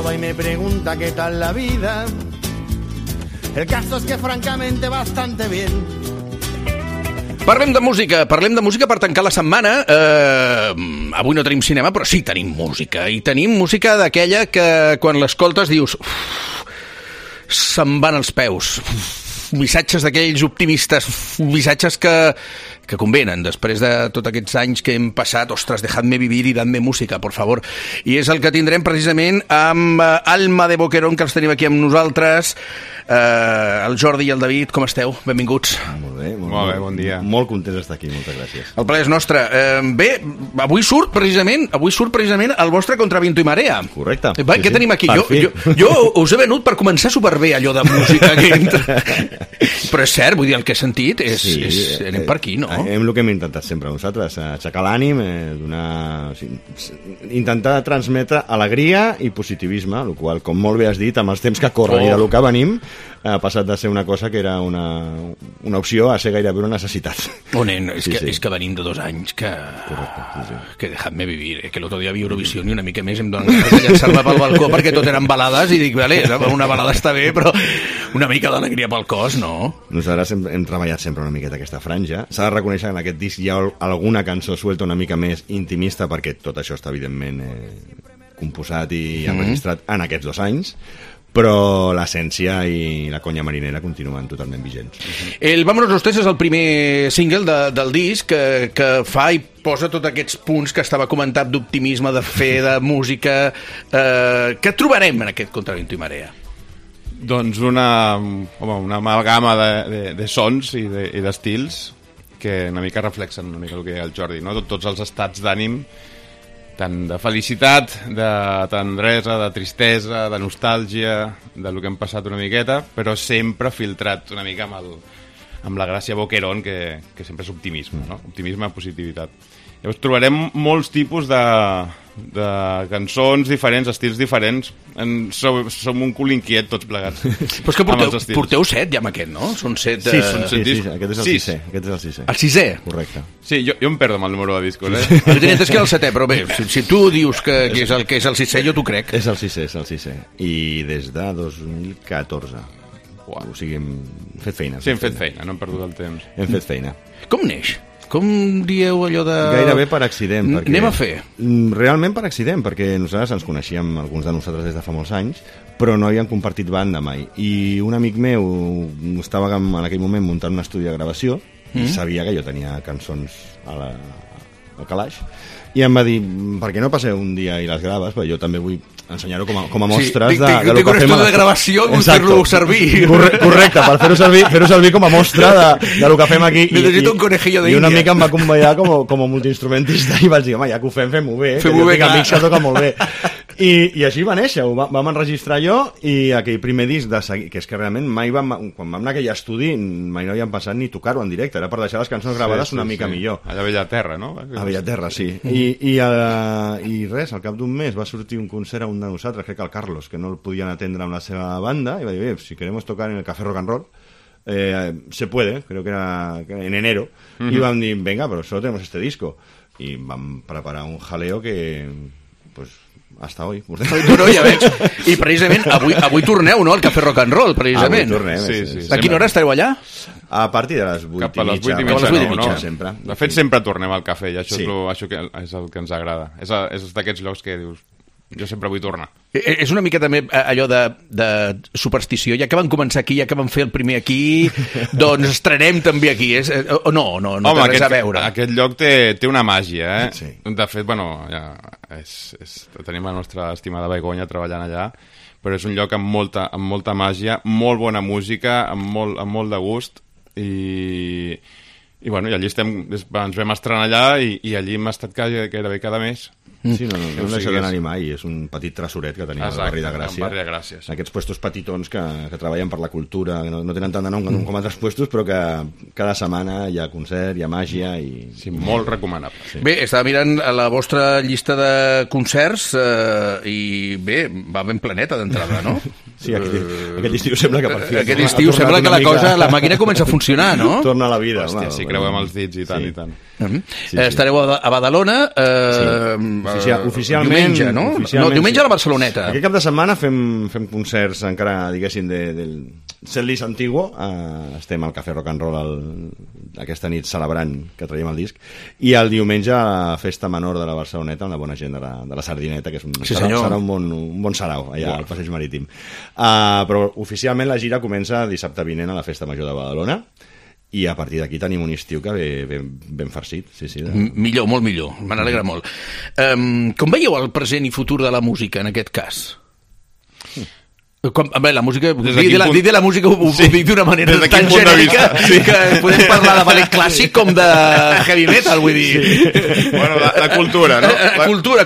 toda y me pregunta qué tal la vida. El caso es que francamente bastante bien. Parlem de música per tancar la setmana. Avui no tenim cinema, però sí tenim música. I tenim música d'aquella que quan l'escoltes dius... se'n van els peus. Missatges d'aquells optimistes, missatges que convenen després de tots aquests anys que hem passat. Ostres, dejadme vivir i dadme música, por favor. I és el que tindrem precisament amb Alma de Boquerón, que els tenim aquí amb nosaltres. El Jordi i el David, com esteu? Benvinguts. Molt bé, bon dia. Molt content d'estar aquí, moltes gràcies. El plaer és nostre. Bé, avui surt precisament el vostre Contra Viento y Marea. Correcte. Què tenim aquí? Jo us he venut per començar superbé allò de música que entra. Però és cert, vull dir, el que he sentit anem per aquí, no? El que hem intentat sempre nosaltres, aixecar l'ànim, intentar transmetre alegria i positivisme, el qual, com molt bé has dit, amb els temps que corren i del que venim, ha passat de ser una cosa que era una opció a ser gairebé una necessitat. Nen, és que venim de 2 anys que... Correcte, que dejadme vivir, que l'altre dia havia Eurovisió i una mica més em donen ganes de llançar-me pel balcó perquè tot eren balades i dic, vale, una balada està bé, però una mica d'alegria pel cos, no? Nosaltres hem treballat sempre una miqueta aquesta franja. S'ha de reconèixer que en aquest disc hi ha alguna cançó suelta una mica més intimista perquè tot això està evidentment composat i enregistrat en aquests 2 anys, però l'essència i la conya marinera continuen totalment vigents. El Vámonos los Tres és el primer single del disc que fa i posa tots aquests punts que estava comentat d'optimisme, de fe, de música. Què trobarem en aquest Contra Viento y Marea? Doncs una amalgama de sons i d'estils que una mica reflexen una mica el que deia el Jordi, no? Tots els estats d'ànim, tant de felicitat, de tendresa, de tristesa, de nostàlgia, del que hem passat una miqueta, però sempre filtrat una mica amb la gràcia Boquerón, que sempre és optimisme, no? Optimisme, positivitat. Llavors trobarem molts tipus de cançons diferents, estils diferents. Som un cul inquiet tots plegats. Però és que porteu 7 ja amb aquest, no? Són 7... Sí, aquest és el 6è. El 6è? Correcte. Sí, jo em perdo amb el número de discos, Jo tenia entès que era el 7è, però bé, si tu dius que és el 6è, jo t'ho crec. És el 6è. I des de 2014. O sigui, hem fet feina. Sí, hem fet feina, no hem perdut el temps. Hem fet feina. Com neix? Com dieu allò de... Gairebé per accident. Anem a fer. Realment per accident, perquè nosaltres ens coneixíem, alguns de nosaltres des de fa molts anys, però no havíem compartit banda mai. I un amic meu estava en aquell moment muntant un estudi de gravació i sabia que jo tenia cançons al calaix, i em va dir, per què no passeu un dia i les graves? Perquè jo també vull ensenyar-ho com a mostres de lo que fem. De gravació, vull fer-lo servir. Correcte, per fer-ho servir com a mostra de lo que fem aquí. Necessito un conejillo d'Índia. I una mica em va convidar com a multiinstrumentista i vaig dir, home, ja que ho fem-ho bé. Fem-ho bé, clar. Amics que toca molt bé. I així va néixer, vam enregistrar jo, i aquell primer disc de seguir, que és que realment mai quan vam anar a aquell estudi mai no havíem pensat ni tocar-ho en directe, era per deixar les cançons gravades una mica millor. Allà a Bellaterra, no? A Bellaterra, sí. I res, al cap d'un mes va sortir un concert a un de nosaltres, crec que el Carlos, que no el podien atendre amb la seva banda, i va dir, si queremos tocar en el Café Rock and Roll, se puede, creo que era en enero, y vam dir, venga, pero solo tenemos este disco. Y vam preparar un jaleo que, pues, hasta hoy. No, ja veig. I precisament avui torneu, no?, al Café Rock and Roll, precisament. Avui tornem, sí. A quina hora estareu allà? A partir de les 8 Cap a les 8 i mitja, sempre. De fet, sempre tornem al cafè, i això és el que ens agrada. És d'aquests llocs que dius, jo sempre vull tornar. És una mica també allò de superstició, ja que van començar aquí, ja que van fer el primer aquí, doncs estrenem també aquí. No té res a veure. Aquest lloc té una màgia, eh? Sí. De fet, bueno, ja tenim la nostra estimada Begoña treballant allà, però és un lloc amb molta màgia, molt bona música, amb molt de gust, i bueno, i allí ens vam estrenar allà, i allí hem estat gairebé cada mes. Sí, no deixa d'anar-hi mai, és un petit tresoret que tenim al barri de Gràcia. Barri de Gràcia, sí. Aquests puestos petitons que treballen per la cultura, que no tenen tant de nom com altres puestos, però que cada setmana hi ha concert, hi ha màgia i... Sí, molt recomanable. Sí. Bé, estava mirant la vostra llista de concerts i bé, va ben planeta d'entrada, no? Sí, aquest estiu sembla que per fi... Aquest estiu sembla que la màquina comença a funcionar, no? Torna a la vida. Hòstia, si creuem els dits i tant, i tant. Estareu a Badalona oficialment, diumenge, no? Oficialment, no, diumenge a la Barceloneta. Aquest cap de setmana fem concerts encara, diguéssim, del setlist antiguo. Estem al Cafè Rock and Roll aquesta nit celebrant que traiem el disc, i el diumenge a la festa menor de la Barceloneta amb la bona gent de la Sardineta, que serà un bon sarau allà al Passeig Marítim. Però oficialment la gira comença dissabte vinent a la Festa Major de Badalona, i a partir d'aquí tenim un estiu que ve ben farcit. Millor, molt millor, me n'alegra molt. Com veieu el present i futur de la música en aquest cas? La música, dir de la música ho dic d'una manera tan genèrica que podem parlar de ballet clàssic com de heavy metal, vull dir. Bueno, la cultura, no?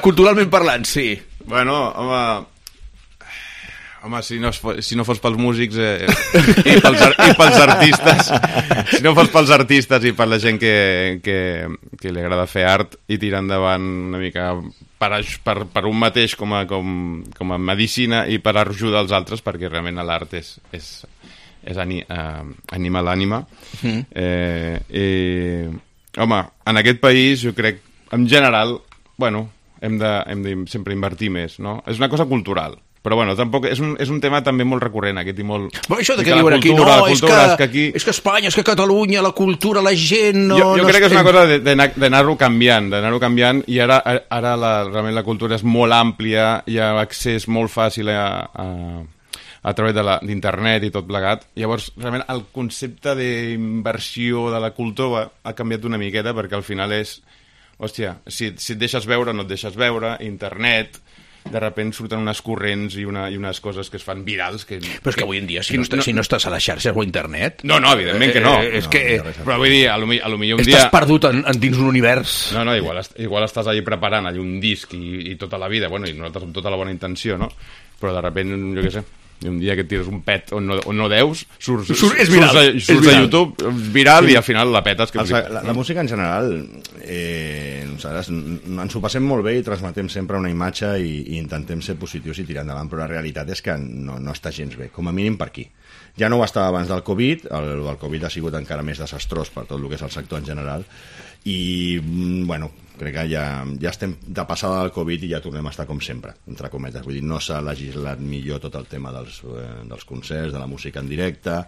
Culturalment parlant, sí. Bueno, home, si no fos pels músics i pels artistes, si no fos pels artistes i per la gent que li agrada fer art i tirar endavant una mica per un mateix com a medicina i per ajudar els altres, perquè realment l'art anima l'ànima. Home, en aquest país jo crec, en general, bueno, hem de sempre invertir més, no? És una cosa cultural. Però bueno, tampoc és un tema també molt recurrent, aquest i molt... Però això de que diuen aquí, no, és que Espanya, és que Catalunya, la cultura, la gent... Jo crec que és una cosa d'anar-ho canviant, i ara realment la cultura és molt àmplia, hi ha accés molt fàcil a través d'internet i tot plegat. Llavors, realment, el concepte d'inversió de la cultura ha canviat una miqueta, perquè al final és... Hòstia, si et deixes veure o no et deixes veure, internet... de sobte surten unes corrents i unes coses que es fan virals. Però és que avui en dia, si no estàs a les xarxes o a internet... No, evidentment que no. Però vull dir, a lo millor un dia... Estàs perdut dins un univers. No, igual estàs allà preparant un disc i tota la vida, bueno, i nosaltres amb tota la bona intenció, no? Però de sobte, jo què sé, un dia que et tires un pet on no deus, surts a YouTube, viral, i al final la petes. La música en general, nosaltres ens ho passem molt bé i transmetem sempre una imatge i intentem ser positius i tirar endavant, però la realitat és que no està gens bé, com a mínim per aquí. Ja no ho estava abans del Covid, el Covid ha sigut encara més desastrós per tot el que és el sector en general, i, bueno, crec que ja estem de passada del Covid i ja tornem a estar com sempre, entre cometes. Vull dir, no s'ha legislat millor tot el tema dels concerts, de la música en directe,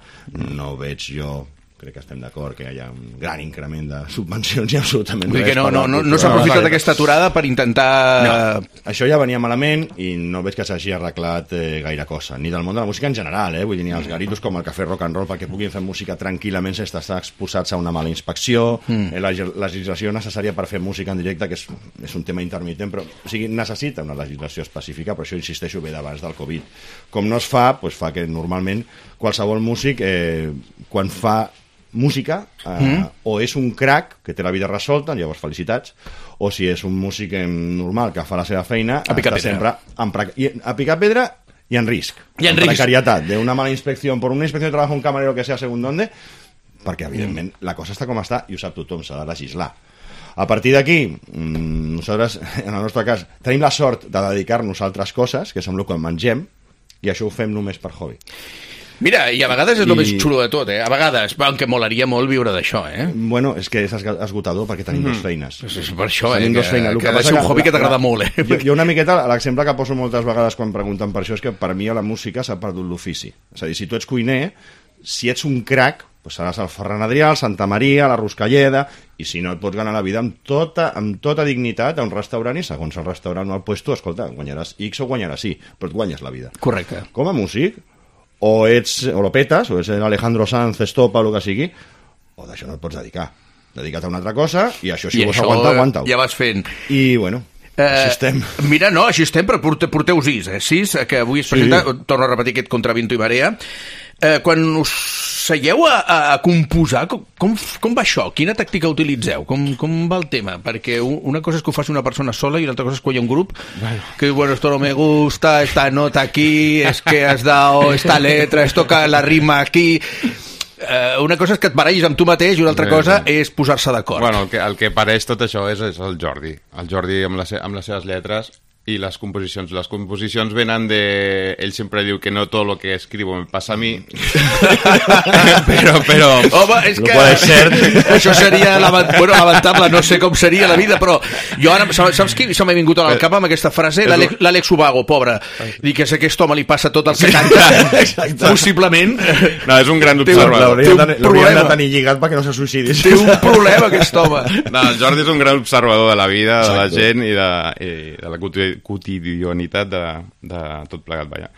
no veig jo... Crec que estem d'acord que hi ha un gran increment de subvencions i absolutament res. No s'ha aprofitat aquesta aturada per intentar... No, això ja venia malament i no veig que s'hagi arreglat gaire cosa, ni del món de la música en general, vull dir, ni els garitos com el Cafè Rock and Roll, perquè puguin fer música tranquil·lament sense estar exposats a una mala inspecció, la legislació necessària per fer música en directe, que és un tema intermitent, però o sigui, necessita una legislació específica, però això, insisteixo, ve d'abans del Covid. Com no es fa, doncs fa que normalment qualsevol músic, quan fa música, o és un crac que té la vida resolta, llavors felicitats, o si és un músic normal que fa la seva feina, està sempre a picar pedra y en risc. Y en precariedad, de una mala inspección, por una inspección de trabajo un camarero que sea según dónde, perquè evidentment la cosa està com està i ho sap tothom, s'ha de legislar. A partir d'aquí, nosaltres, en el nostre cas, tenim la sort de dedicar-nos a altres coses, que és amb el que mengem, i això ho fem només per hobby. Mira, i a vegades és el més xulo de tot, A vegades, aunque molaria molt viure d'això, Bueno, és que és esgotador perquè tenim dues feines. És per això, tenim dues feines. Que és un hobby que t'agrada molt, Jo una miqueta, l'exemple que poso moltes vegades quan pregunten per això és que per mi a la música s'ha perdut l'ofici. És a dir, si tu ets cuiner, si ets un crac, doncs seràs el Ferran Adrià, el Santa Maria, la Ruscalleda, i si no et pots ganar la vida amb tota dignitat a un restaurant, i segons el restaurant o el puesto, escolta, guanyaràs X o guanyaràs Y, però et guanyes la vida. Correcte. Com a músic, o lo petes, o ets Alejandro Sanz, Estopa, o el que sigui, o d'això no et pots dedicar. Dedica't a una altra cosa, i això si vols aguantar, aguanta-ho. Ja vas fent. I, bueno, així estem. Mira, no, així estem, però porteu 6, que avui es presenta, torno a repetir aquest Contraviento i Marea. Quan us seieu a composar, com va això? Quina tàctica utilitzeu? Com va el tema? Perquè una cosa és que ho faci una persona sola i l'altra cosa és que hi ha un grup que, bueno, esto no me gusta, esta nota aquí, es que has dado esta letra, esto que la rima aquí... Una cosa és que et barallis amb tu mateix i una altra cosa és posar-se d'acord. Bueno, el que pareix tot això és el Jordi. El Jordi amb les seves lletres i les composicions. Les composicions venen de... Ell sempre diu que no tot lo que escribo me passa a mi. però... Home, és que... cert. Això seria lamentable, no sé com seria la vida, però jo ara... Saps qui se m'ha vingut al cap amb aquesta frase? L'Àlex Ubago, pobre. Dic que a aquest home li passa tot el que canta. Possiblement. No, és un gran observador. L'hauríem de tenir lligat perquè no se suïcidis. Té un problema, aquest home. No, el Jordi és un gran observador de la vida, de la gent i de la quotidianitat de tot plegat, vaja.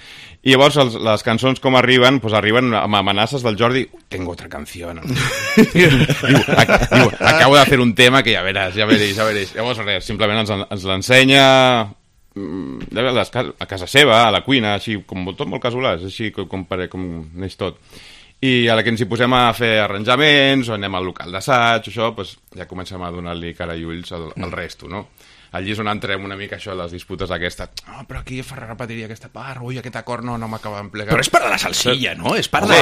I llavors les cançons com arriben, pues arriben amb amenaces del Jordi. Tengo otra canción. Diu, acabo de hacer un tema que ja veréis. Llavors res, simplement ens l'ensenya a casa seva, a la cuina, així com tot molt casolà, és així com neix tot. I a la que ens hi posem a fer arranjaments o anem al local d'assaig, això, pues, ja comencem a donar-li cara i ulls al resto, no? Allí és on entrem una mica això, les disputes aquestes. Però aquí repetiria aquesta part, ui, aquest acord no m'acaba d'emplegar. Però és part de la salsilla, no? És part de...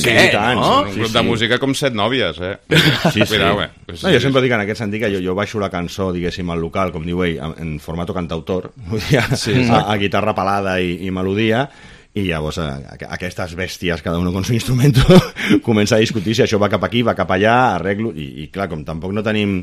Sí, tant. Un grup de música com 7 nòvies, eh? Sí. Cuidao, No, jo sempre dic en aquest sentit que jo baixo la cançó, diguéssim, al local, com diu ell, en formato cantautor, a guitarra pelada i melodia, i llavors aquestes bèsties, cada uno con su instrumento, comença a discutir si això va cap aquí, va cap allà, arreglo, i clar, com tampoc no tenim...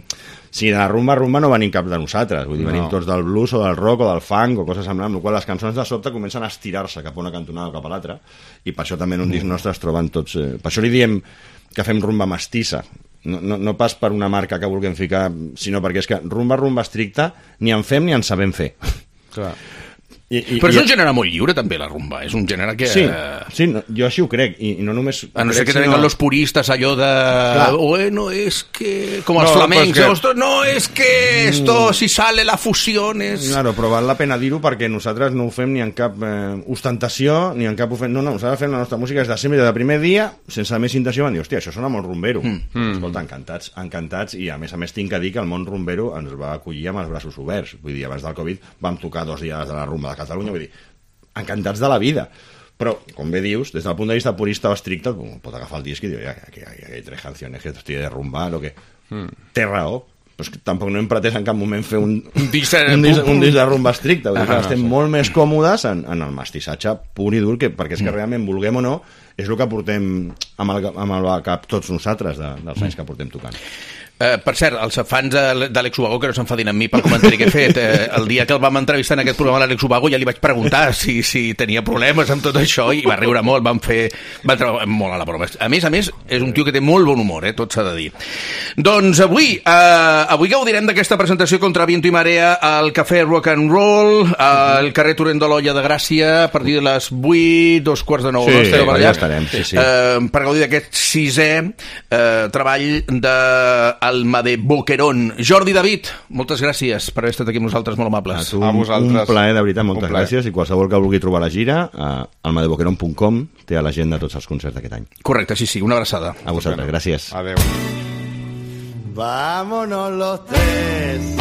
Si de la rumba no venim cap de nosaltres, vull dir, venim tots del blues o del rock o del funk o coses semblants, amb la qual les cançons de sobte comencen a estirar-se cap a una cantonada o cap a l'altra, i per això també en un disc nostre es troben tots... Per això li diem que fem rumba mestissa, no pas per una marca que vulguem ficar, sinó perquè és que rumba estricta ni en fem ni en sabem fer. Clar. Però és un gènere molt lliure, també, la rumba. És un gènere que... Sí, no, jo així ho crec, i no només... A no ser que tenen los puristes allò de... Bueno, és que... Com els flamencs. No, és que esto, si sale la fusión és... Claro, però val la pena dir-ho perquè nosaltres no ho fem ni en cap ostentació, ni en cap... No, nosaltres fem la nostra música des de sempre, des del primer dia, sense més intenció, van dir, hòstia, això sona molt rumbero. Escolta, encantats, i a més tinc que dir que el món rumbero ens va acollir amb els braços oberts. Vull dir, abans del Covid vam tocar 2 dies de la rumba de Catalunya, vull dir, encantats de la vida. Però, com bé dius, des del punt de vista purista o estricte, pot agafar el disc i dir, que hay 3 canciones que estoy de rumba, lo que... Té raó, però és que tampoc no hem pretès en cap moment fer un disc de rumba estricte. Vull dir que estem molt més còmodes en el mestissatge pur i dur, perquè és que realment, vulguem o no, és el que portem amb el cap tots nosaltres dels anys que portem tocant. Per cert, els fans d'Àlex Ubago que no s'enfadin amb mi pel comentari que he fet, el dia que el vam entrevistar en aquest programa l'Àlex Ubago ja li vaig preguntar si tenia problemes amb tot això i va riure molt, va treure molt a la broma. A més, és un tio que té molt bon humor, tot s'ha de dir. Doncs avui gaudirem d'aquesta presentació contra Viento i Marea al Cafè Rock and Roll, al carrer Torrent de l'Olla de Gràcia, a partir de les 8, 8:45. Sí, ja estarem, sí. Per gaudir d'aquest 6è treball de Alma de Boquerón. Jordi David, moltes gràcies per haver estat aquí amb nosaltres, molt amables. A vosaltres. Un plaer, de veritat, moltes gràcies, i qualsevol que vulgui trobar la gira, almadeboquerón.com té a l'agenda tots els concerts d'aquest any. Correcte, sí, una abraçada. A vosaltres, gràcies. Adéu. Vámonos los 3